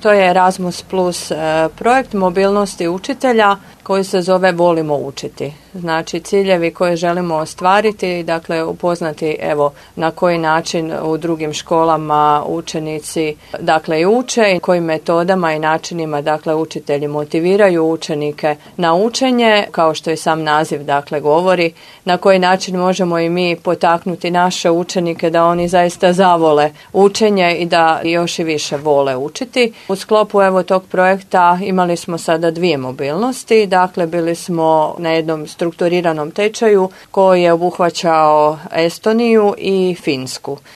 To je Erasmus Plus projekt mobilnosti učitelja koji se zove Volimo učiti. Znači ciljevi koje želimo ostvariti, dakle upoznati na koji način u drugim školama učenici i uče i kojim metodama i načinima učitelji motiviraju učenike na učenje, kao što i sam naziv govori, na koji način možemo i mi potaknuti naše učenike da oni zaista zavole učenje i da još i više vole učiti. U sklopu tog projekta imali smo sada 2 mobilnosti, bili smo na jednom strukturiranom tečaju koji je obuhvaćao Estoniju i Finsku.